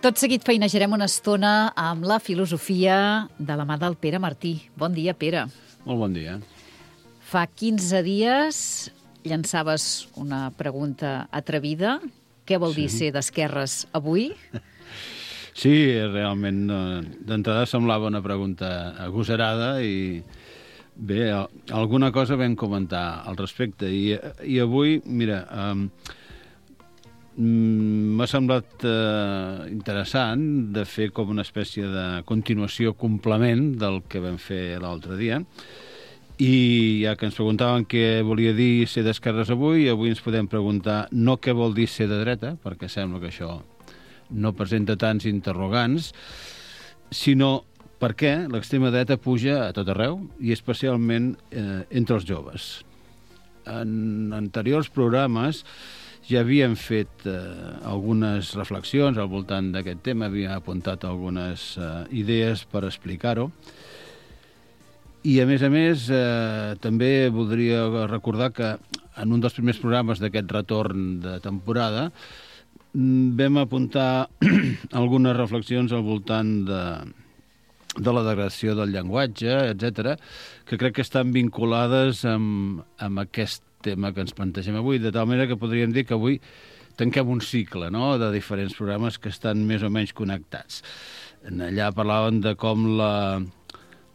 Tot seguit feinejarem una estona amb la filosofia de la mà del Pere Martí. Bon dia, Pere. Molt bon dia. Fa 15 dies llançaves una pregunta atrevida. Què vol dir ser d'esquerres avui? Sí, realment, d'entrada semblava una pregunta agosarada i bé, alguna cosa vam comentar al respecte. I avui, mira, m'ha semblat interessant de fer com una espècie de continuació, complement del que vam fer l'altre dia. I ja que ens preguntaven què volia dir ser d'esquerres avui ens podem preguntar no què vol dir ser de dreta, perquè sembla que això no presenta tants interrogants, sinó per què l'extrema dreta puja a tot arreu i especialment entre els joves. En anteriors programes ja havíem fet algunes reflexions al voltant d'aquest tema, havíem apuntat algunes idees per explicar-ho. I, a més, també voldria recordar que en un dels primers programes d'aquest retorn de temporada vam apuntar algunes reflexions al voltant de la degradació del llenguatge, etc., que crec que estan vinculades amb aquest tema que ens plantegem avui, de tal manera que podríem dir que avui tanquem un cicle, no?, de diferents programes que estan més o menys connectats. Allà parlaven de com la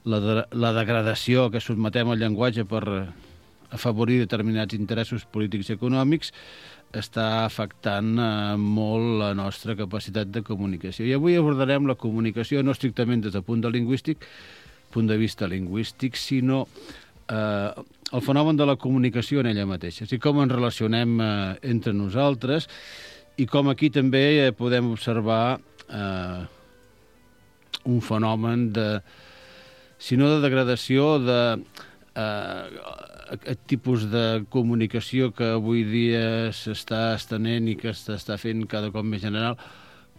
degradació que sotmetem al llenguatge per afavorir determinats interessos polítics i econòmics està afectant molt la nostra capacitat de comunicació. I avui abordarem la comunicació no estrictament des del punt de vista lingüístic, sinó el fenomen de la comunicació en ella mateixa. És a dir, com ens relacionem entre nosaltres i com aquí també podem observar un fenomen si no de degradació, aquest tipus de comunicació que avui dia s'està estenent i que s'està fent cada cop més general,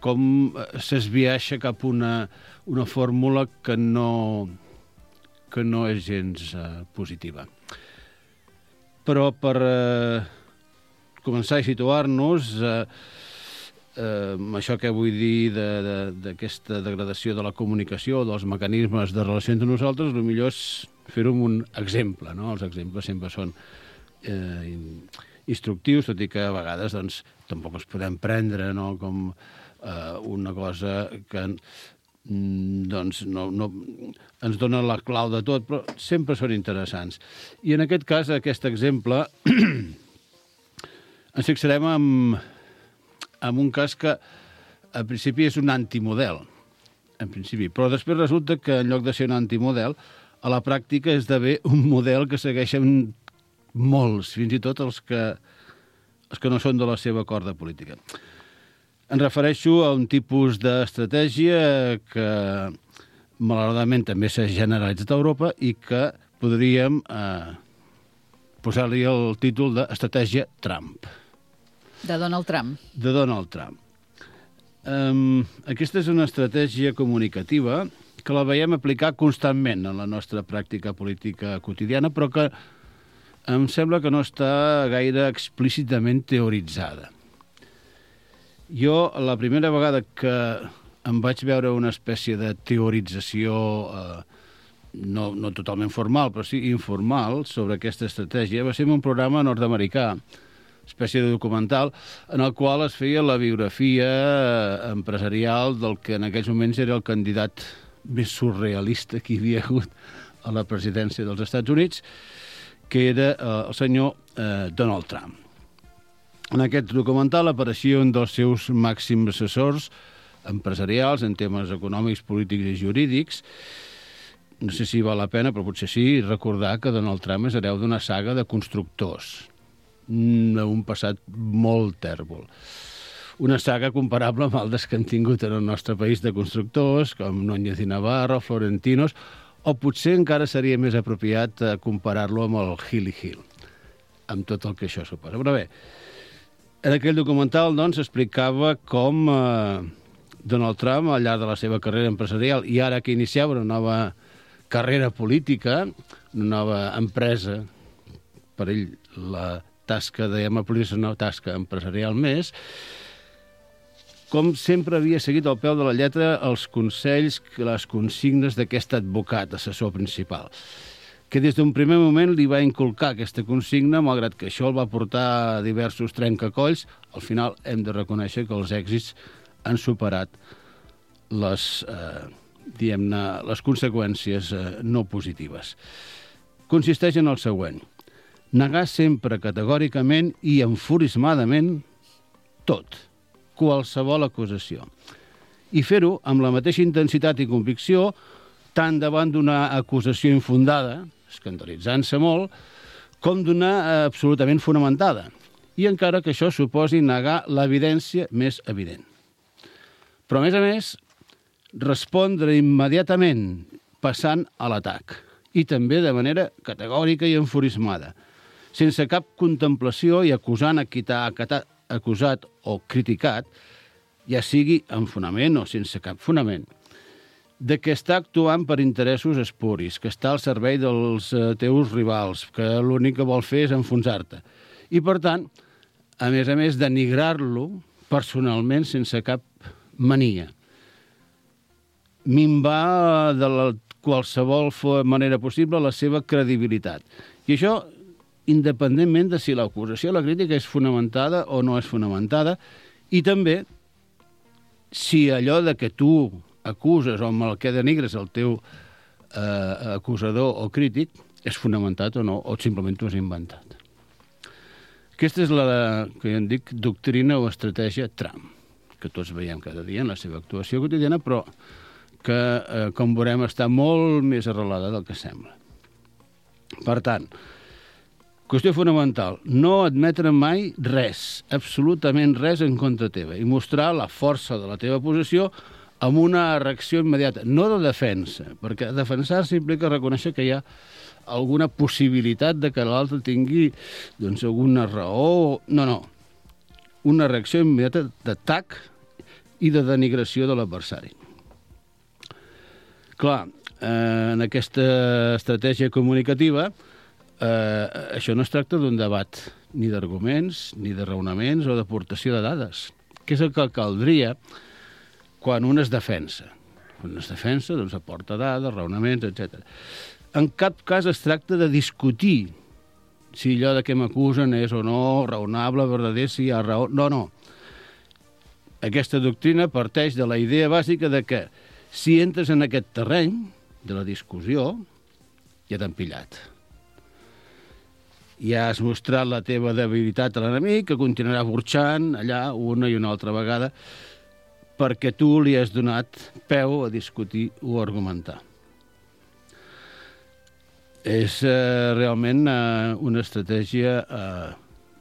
com s'esbiaixa cap a una fórmula que no és gens positiva. Però per començar a situar-nos, això que vull dir d'aquesta degradació de la comunicació, dels mecanismes de relació entre nosaltres, el millor és fer-ho amb un exemple, no? Els exemples sempre són instructius, tot i que a vegades doncs, tampoc els podem prendre, no?, com una cosa que doncs, no ens dona la clau de tot, però sempre són interessants. I en aquest cas, aquest exemple, ens fixarem en un cas que al principi és un antimodel, en principi, però després resulta que en lloc de ser un antimodel, a la pràctica esdevé un model que segueixen molts, fins i tot els que no són de la seva corda política. Em refereixo a un tipus d'estratègia que malauradament també s'ha generalitzat a Europa i que podríem posar-li el títol d'estratègia Trump. De Donald Trump. De Donald Trump. Aquesta és una estratègia comunicativa que la veiem aplicar constantment en la nostra pràctica política quotidiana, però que em sembla que no està gaire explícitament teoritzada. Jo, la primera vegada que em vaig veure una espècie de teorització, no totalment formal, però sí informal, sobre aquesta estratègia, va ser en un programa nord-americà, espècie de documental, en el qual es feia la biografia empresarial del que en aquells moments era el candidat més surrealista que hi havia hagut a la presidència dels Estats Units, que era el senyor Donald Trump. En aquest documental apareixia un dels seus màxims assessors empresarials en temes econòmics, polítics i jurídics. No sé si val la pena, però potser sí, recordar que Donald Trump és hereu d'una saga de constructors, d'un passat molt tèrbol. Una saga comparable amb altres que han tingut en el nostre país de constructors, com Núñez i Navarro, Florentinos, o potser encara seria més apropiat comparar-lo amb el Gili Hill, amb tot el que això suposa. Però bé, en aquell documental doncs, explicava com Donald Trump, al llarg de la seva carrera empresarial, i ara que iniciava una nova carrera política, una nova empresa, per ell la tasca de política és una tasca empresarial més, com sempre havia seguit al peu de la lletra els consells, les consignes d'aquest advocat, assessor principal, que des d'un primer moment li va inculcar aquesta consigna, malgrat que això el va portar a diversos trencacolls. Al final hem de reconèixer que els èxits han superat les conseqüències no positives. Consisteix en el següent: negar sempre categòricament i enfurismadament tot, qualsevol acusació, i fer-ho amb la mateixa intensitat i convicció tant davant d'una acusació infundada, escandalitzant-se molt, com d'una absolutament fonamentada, i encara que això suposi negar l'evidència més evident. Però, a més, respondre immediatament passant a l'atac, i també de manera categòrica i enfurismada, sense cap contemplació i acusant a qui t'ha acusat o criticat, ja sigui amb fonament o sense cap fonament, de que està actuant per interessos espuris, que està al servei dels teus rivals, que l'únic que vol fer és enfonsar-te. I, per tant, a més, denigrar-lo personalment sense cap mania. Minvar de qualsevol manera possible la seva credibilitat. I això, independentment de si l'acusació o la crítica és fonamentada o no és fonamentada, i també si allò de que tu acuses o amb el que denigres el teu acusador o crític és fonamentat o no, o simplement t'ho has inventat. Aquesta és la que en dic doctrina o estratègia Trump, que tots veiem cada dia en la seva actuació quotidiana, però que, com veurem, està molt més arrelada del que sembla. Per tant, qüestió fonamental: no admetre mai res, absolutament res en contra teva, i mostrar la força de la teva posició amb una reacció immediata, no de defensa, perquè defensar-se implica reconèixer que hi ha alguna possibilitat de que l'altre tingui alguna raó. No. Una reacció immediata d'atac i de denigració de l'adversari. Clar, en aquesta estratègia comunicativa, això no es tracta d'un debat ni d'arguments, ni de raonaments o d'aportació de dades, que és el que caldria quan un es defensa. Quan es defensa, doncs aporta dades, raonaments, etc. En cap cas es tracta de discutir si allò de què m'acusen és o no raonable, verdader, si hi ha raó. No. Aquesta doctrina parteix de la idea bàsica de que si entres en aquest terreny de la discussió, ja t'han pillat. Ja has mostrat la teva debilitat a l'enemic, que continuarà burxant allà una i una altra vegada, perquè tu li has donat peu a discutir o argumentar. És realment una estratègia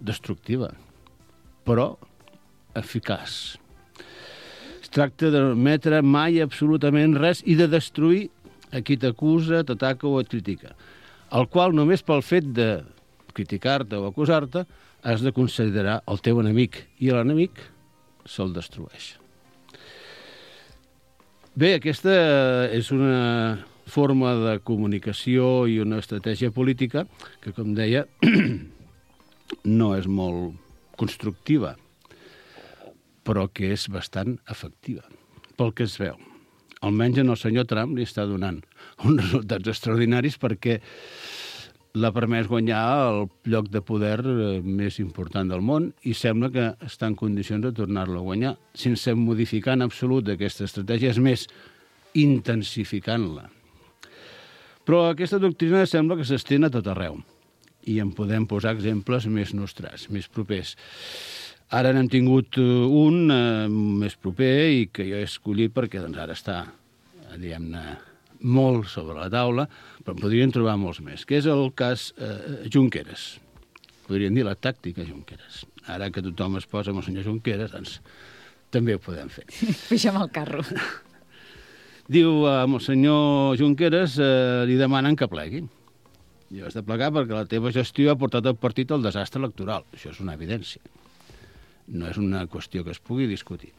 destructiva, però eficaç. Es tracta de no admetre mai absolutament res i de destruir a qui t'acusa, t'ataca o et critica, el qual només pel fet de criticar-te o acusar-te has de considerar el teu enemic, i l'enemic se'l destrueix. Bé, aquesta és una forma de comunicació i una estratègia política que, com deia, no és molt constructiva, però que és bastant efectiva, pel que es veu. Almenys en el senyor Trump li està donant uns resultats extraordinaris, perquè l'ha permès guanyar el lloc de poder més important del món i sembla que està en condicions de tornar-lo a guanyar sense modificar en absolut aquesta estratègia, és més, intensificant-la. Però aquesta doctrina sembla que s'estén a tot arreu i en podem posar exemples més nostrats, més propers. Ara n'hem tingut un més proper i que jo he escollit perquè ara està, diguem-ne, molt sobre la taula, però en podríem trobar molts més, que és el cas Junqueras. Podríem dir la tàctica Junqueras. Ara que tothom es posa amb el senyor Junqueras, doncs també ho podem fer. Pugem al carro. Diu, amb el senyor Junqueras li demanen que plegui. I has de plegar perquè la teva gestió ha portat el partit al desastre electoral. Això és una evidència. No és una qüestió que es pugui discutir.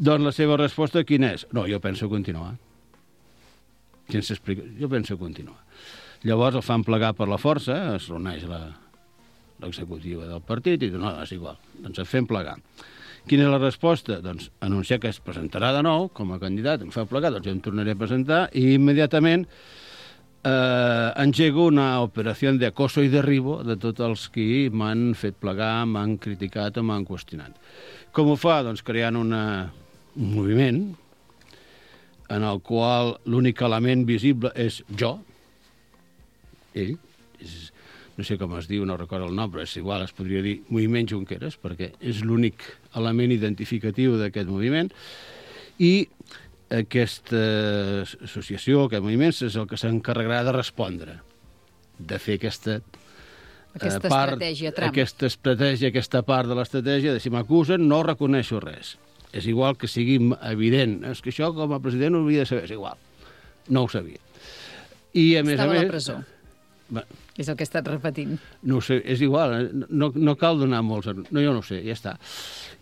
Doncs la seva resposta quina és? No, jo penso continuar. Sense explicar, jo penso continuar. Llavors el fan plegar per la força, es reuneix l'executiva del partit i diu, no, és igual, doncs el fem plegar. Quina és la resposta? Doncs anunciar que es presentarà de nou com a candidat, em fa plegar, doncs jo em tornaré a presentar i immediatament engego una operació de acoso i derribo de tots els que m'han fet plegar, m'han criticat o m'han qüestionat. Com ho fa? Doncs creant un moviment en el qual l'únic element visible és jo, ell, no sé com es diu, no recordo el nom, però és igual, es podria dir Moviment Junqueras, perquè és l'únic element identificatiu d'aquest moviment, i aquesta associació, aquest moviment, és el que s'encarregarà de respondre, de fer aquesta estratègia Trump. Aquesta part de l'estratègia de si m'acusen no reconeixo res. És igual que sigui evident. És que això com a president ho havia de saber, és igual. No ho sabia. I a més a la presó. És el que he estat repetint. No ho sé, és igual, no cal donar molts... No, jo no ho sé, ja està.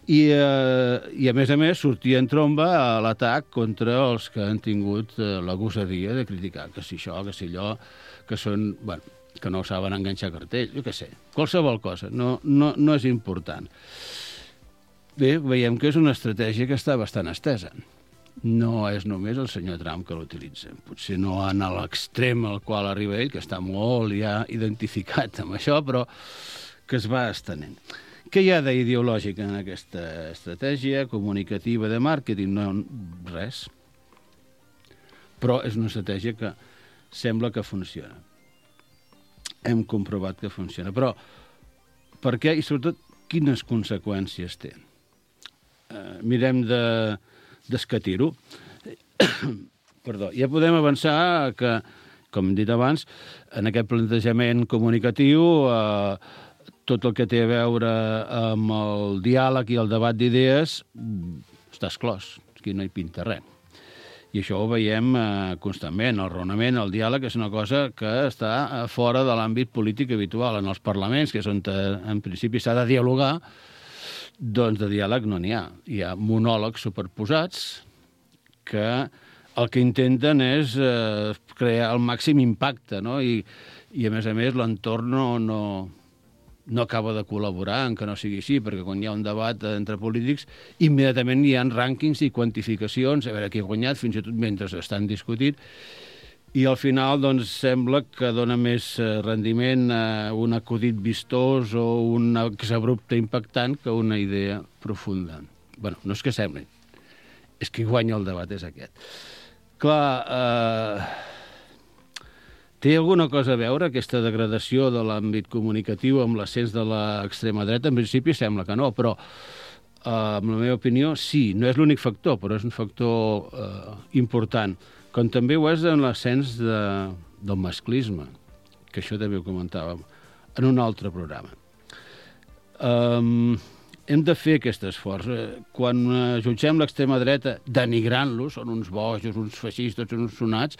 I a més, sortir en tromba a l'atac contra els que han tingut la gosadia de criticar que si això, que si allò, que són... Bueno, que no saben enganxar cartell, jo què sé. Qualsevol cosa, no és important. Bé, veiem que és una estratègia que està bastant estesa. No és només el senyor Trump que l'utilitza. Potser no en l'extrem al qual arriba ell, que està molt ja identificat amb això, però que es va estenent. Què hi ha d'ideològic en aquesta estratègia comunicativa de màrqueting? No, res. Però és una estratègia que sembla que funciona. Hem comprovat que funciona. Però per què i sobretot quines conseqüències té? Mirem d'escatir-ho. Perdó. Ja podem avançar que, com hem dit abans, en aquest plantejament comunicatiu tot el que té a veure amb el diàleg i el debat d'idees està exclòs. Aquí no hi pinta res. I això ho veiem constantment. El raonament, el diàleg, és una cosa que està fora de l'àmbit polític habitual. En els parlaments, que és on en principi s'ha de dialogar, doncs de diàleg no n'hi ha. Hi ha monòlegs superposats que el que intenten és crear el màxim impacte, no? I a més, l'entorn no acaba de col·laborar en que no sigui així, perquè quan hi ha un debat entre polítics, immediatament hi ha rànquings i quantificacions, a veure qui ha guanyat, fins i tot mentre estan discutint, i al final doncs, sembla que dona més rendiment un acudit vistós o un exabrupte impactant que una idea profunda. Bé, no és que sembli, és que guanya el debat, és aquest. Clar, té alguna cosa a veure aquesta degradació de l'àmbit comunicatiu amb l'ascens de l'extrema dreta? En principi sembla que no, però en la meva opinió sí, no és l'únic factor, però és un factor important, com també ho és en l'ascens del masclisme, que això també ho comentàvem en un altre programa. Hem de fer aquest esforç. Quan jutgem l'extrema dreta denigrant-los, són uns bojos, uns feixistes, uns sonats,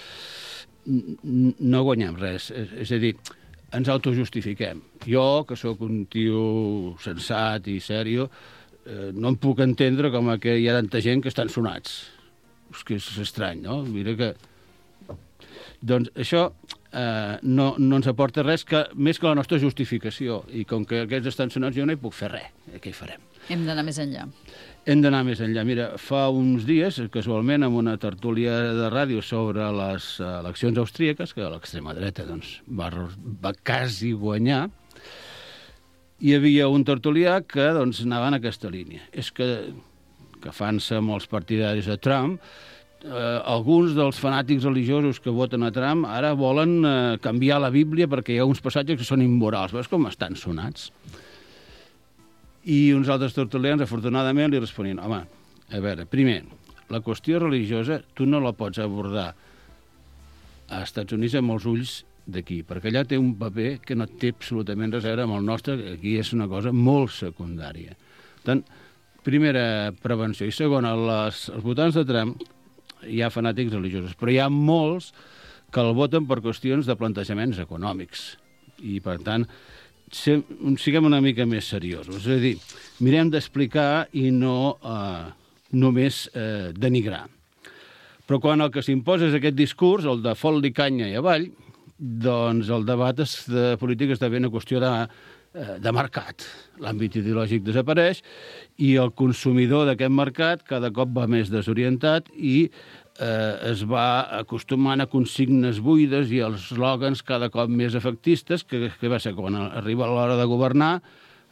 no guanyem res. És a dir, ens autojustifiquem. Jo, que sóc un tio sensat i sèrio, no em puc entendre com que hi ha tanta gent que estan sonats. És que és estrany, no? Mira que... Doncs això no ens aporta res més que la nostra justificació. I com que aquests estan sonats jo no hi puc fer res. Què hi farem? Hem d'anar més enllà. Hem d'anar més enllà. Mira, fa uns dies, casualment, amb una tertúlia de ràdio sobre les eleccions austríaques, que l'extrema dreta doncs, va quasi guanyar, hi havia un tertulià que doncs, anava en aquesta línia. És que fan-se amb els partidaris de Trump, alguns dels fanàtics religiosos que voten a Trump ara volen canviar la Bíblia perquè hi ha uns passatges que són immorals. Veus com estan sonats? I uns altres tertulians, afortunadament, li responien: home, a veure, primer, la qüestió religiosa tu no la pots abordar a Estats Units amb els ulls d'aquí, perquè allà té un paper que no té absolutament res a veure amb el nostre, que aquí és una cosa molt secundària. Per tant, primera prevenció. I segona, els votants de Trump hi ha fanàtics religiosos, però hi ha molts que el voten per qüestions de plantejaments econòmics. I, per tant, siguem una mica més seriosos. És a dir, mirem d'explicar i no només denigrar. Però quan el que s'imposa és aquest discurs, el de fot-li canya i avall, doncs el debat de política esdevé una qüestió de de mercat. L'àmbit ideològic desapareix i el consumidor d'aquest mercat cada cop va més desorientat i es va acostumant a consignes buides i els eslògans cada cop més efectistes, que va ser quan arriba l'hora de governar,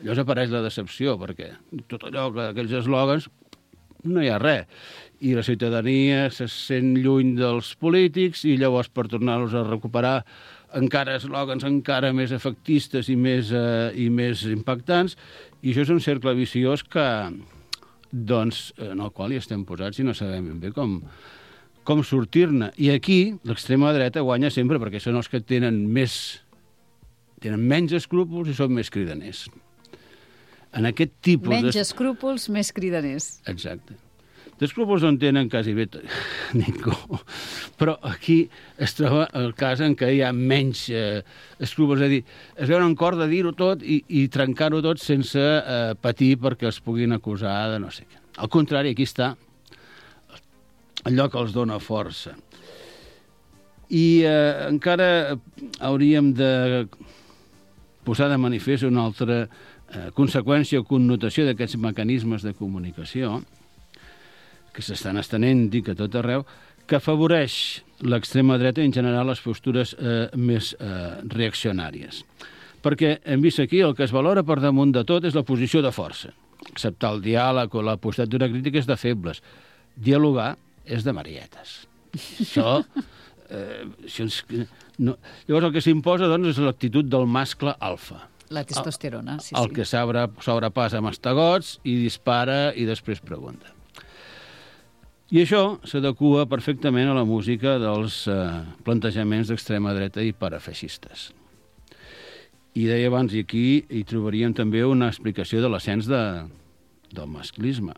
llavors apareix la decepció, perquè tot allò, aquells eslògans, no hi ha res. I la ciutadania se sent lluny dels polítics i llavors per tornar-los a recuperar encara eslògans encara més efectistes i més impactants. I això és un cercle viciós que, doncs, en el qual hi estem posats i no sabem ben bé com sortir-ne. I aquí l'extrema dreta guanya sempre perquè són els que tenen menys escrúpols i són més cridaners. En aquest tipus menys escrúpols, més cridaners. Exacte. D'escrúpols no en tenen quasi bé ningú. Però aquí es troba el cas en què hi ha menys escrúpols. És a dir, es veuen en cor de dir-ho tot i trencar-ho tot sense patir perquè els puguin acusar de no sé què. Al contrari, aquí està allò que els dona força. I encara hauríem de posar de manifest una altra conseqüència o connotació d'aquests mecanismes de comunicació que s'estan estenent, dic, a tot arreu, que afavoreix l'extrema dreta i en general les postures més reaccionàries. Perquè hem vist aquí el que es valora per damunt de tot és la posició de força. Acceptar el diàleg o la postadura crítica és de febles. Dialogar és de marietes. Això... Llavors el que s'imposa doncs, és l'actitud del mascle alfa. La testosterona, sí. El que sobrepassa mastegots i dispara i després pregunta. I això s'adequa perfectament a la música dels plantejaments d'extrema dreta i parafeixistes. I deia abans, i aquí hi trobaríem també una explicació de l'ascens del masclisme.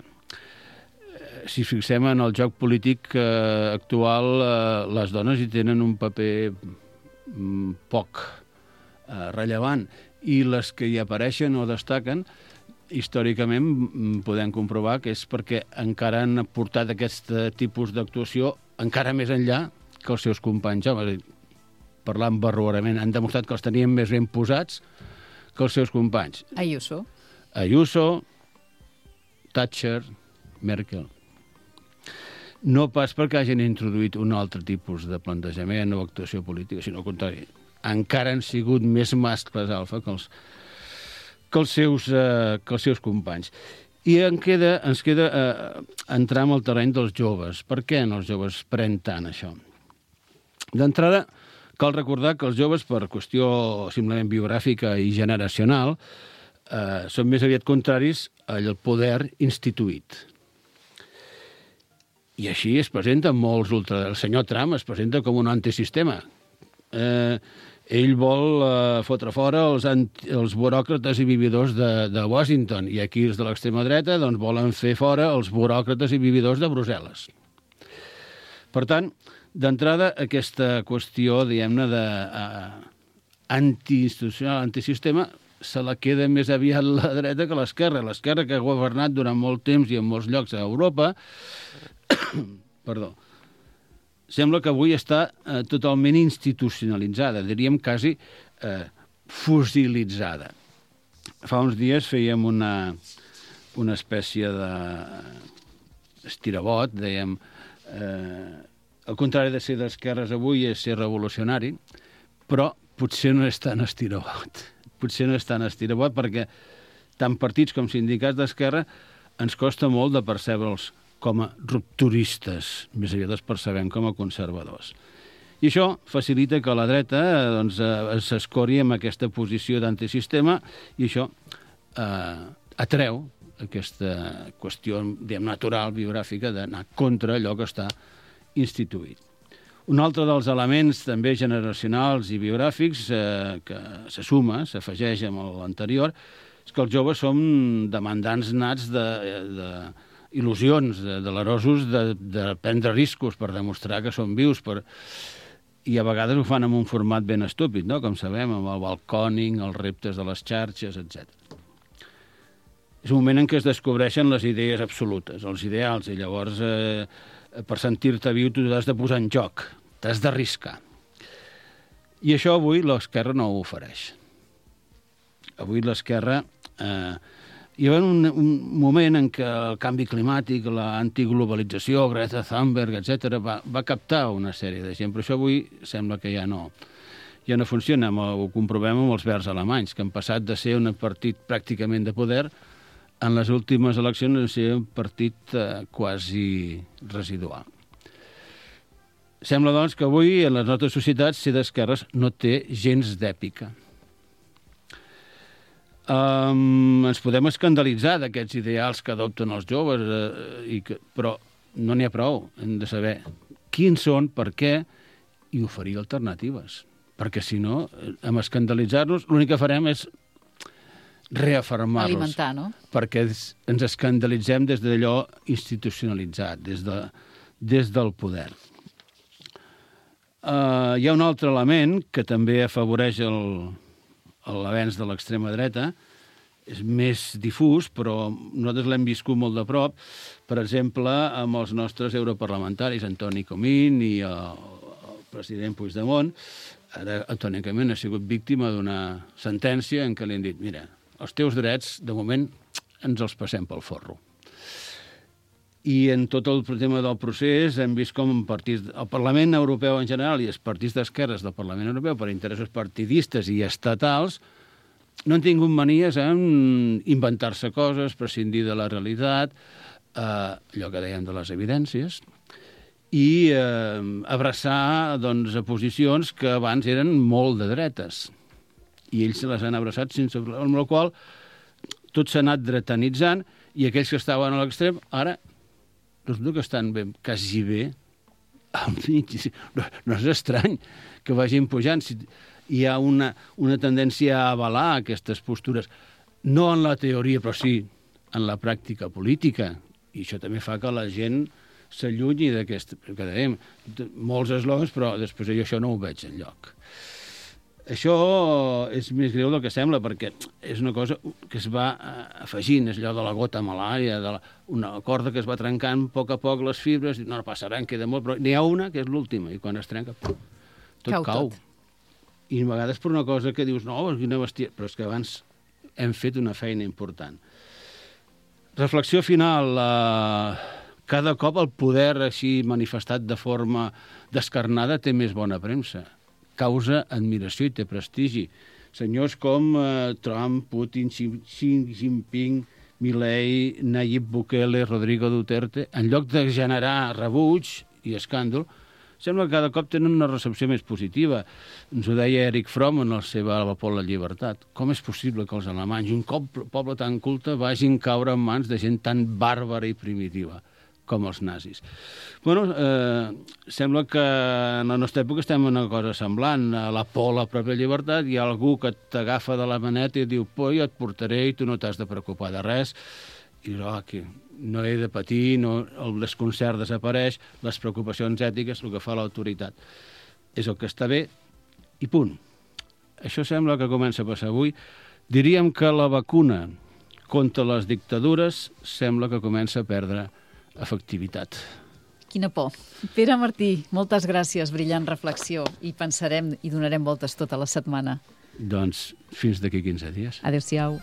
Si fixem en el joc polític actual, les dones hi tenen un paper poc rellevant i les que hi apareixen o destaquen, històricament podem comprovar que és perquè encara han portat aquest tipus d'actuació encara més enllà que els seus companys homes. Parlant barroerament, han demostrat que els tenien més ben posats que els seus companys. Ayuso, Thatcher, Merkel. No pas perquè hagin introduït un altre tipus de plantejament o actuació política, sinó al contrari. Encara han sigut més mascles alfa que els seus companys. I ens queda entrar en el terreny dels joves. Per què els joves pren tant això? D'entrada, cal recordar que els joves, per qüestió simplement biogràfica i generacional, són més aviat contraris al poder instituït. I així es presenta molts El senyor Trump es presenta com un antisistema. Ell vol fotre fora els buròcrates i vividors de Washington, i aquí els de l'extrema dreta doncs, volen fer fora els buròcrates i vividors de Brussel·les. Per tant, d'entrada, aquesta qüestió, diguem-ne, d'antiinstitucional, antisistema, se la queda més aviat la dreta que l'esquerra. L'esquerra, que ha governat durant molt temps i en molts llocs a Europa, sembla que avui està totalment institucionalitzada, diríem quasi fosilitzada. Fa uns dies fèiem una espècie d'estirabot, dèiem, al contrari de ser d'esquerres avui és ser revolucionari, però potser no és tan estirabot. Potser no és tan estirabot perquè tant partits com sindicats d'esquerra ens costa molt de percebre'ls com a rupturistes, més aviat els percebem com a conservadors. I això facilita que la dreta s'escori amb aquesta posició d'antisistema i això atreu aquesta qüestió natural, biogràfica, d'anar contra allò que està instituït. Un altre dels elements també generacionals i biogràfics que se suma, s'afegeix amb l'anterior, és que els joves som demandants nats il·lusions, delerosos de prendre riscos per demostrar que són vius, i a vegades ho fan en un format ben estúpid, no? Com sabem, amb el balcòning, els reptes de les xarxes, etc. És un moment en què es descobreixen les idees absolutes, els ideals, i llavors per sentir-te viu tu t'has de posar en joc, t'has d'arriscar. I això avui l'esquerra no ho ofereix. avui l'esquerra... Hi va un moment en què el canvi climàtic, l'antiglobalització, Greta Thunberg, etc., va captar una sèrie de gent, però això avui sembla que ja no funciona. Ho comprovem amb els verds alemanys, que han passat de ser un partit pràcticament de poder en les últimes eleccions a ser un partit quasi residual. Sembla, doncs, que avui en les nostres societats ser d'esquerres no té gens d'èpica. Ens podem escandalitzar d'aquests ideals que adopten els joves, però no n'hi ha prou. Hem de saber quins són, per què, i oferir alternatives. Perquè, si no, amb escandalitzar-nos, l'únic que farem és reafirmar-los. Alimentar, no? Perquè ens escandalitzem des d'allò institucionalitzat, des del poder. Hi ha un altre element que també afavoreix l'avenç de l'extrema dreta, és més difús, però nosaltres l'hem viscut molt de prop, per exemple, amb els nostres europarlamentaris, Antoni Comín i el president Puigdemont. Ara Antoni Comín ha sigut víctima d'una sentència en què li han dit: mira, els teus drets, de moment, ens els passem pel forro. I en tot el tema del procés hem vist com el Parlament Europeu en general i els partits d'esquerres del Parlament Europeu, per interessos partidistes i estatals, no han tingut manies en inventar-se coses, prescindir de la realitat, allò que dèiem de les evidències, i abraçar a posicions que abans eren molt de dretes. I ells se les han abraçat sense problema, amb la qual tot s'ha anat dretanitzant, i aquells que estaven a l'extrem, ara resulta que estan quasi bé al mig. No és estrany que vagin pujant. Hi ha una tendència a avalar aquestes postures, no en la teoria, però sí en la pràctica política. I això també fa que la gent s'allunyi d'aquest... que dèiem, molts eslògans, però després això no ho veig enlloc. Això és més greu del que sembla, perquè és una cosa que es va afegint, és allò de la gota malària, una corda que es va trencant a poc les fibres, no passarà, en queda molt, però n'hi ha una que és l'última, i quan es trenca, tot cau. I a vegades per una cosa que dius, no, quina bèstia, però és que abans hem fet una feina important. Reflexió final. Cada cop el poder així manifestat de forma descarnada té més bona premsa. Causa admiració i té prestigi. Senyors com Trump, Putin, Xi Jinping, Milei, Nayib Bukele, Rodrigo Duterte, en lloc de generar rebuig i escàndol, sembla que cada cop tenen una recepció més positiva. Ens ho deia Erich Fromm en el seu Alba por la llibertat. Com és possible que els alemanys, un poble tan culte, vagin caure en mans de gent tan bàrbara i primitiva com els nazis? Bueno, sembla que en la nostra època estem en una cosa semblant. A la por a la pròpia llibertat hi ha algú que t'agafa de la maneta i diu: jo et portaré i tu no t'has de preocupar de res. I aquí no he de patir, el desconcert desapareix, les preocupacions ètiques, el que fa l'autoritat és el que està bé, i punt. Això sembla que comença a passar avui. Diríem que la vacuna contra les dictadures sembla que comença a perdre efectivitat. Quina por. Pere Martí, moltes gràcies, brillant reflexió, i pensarem i donarem voltes tota la setmana. Doncs fins d'aquí 15 dies. Adéu-siau.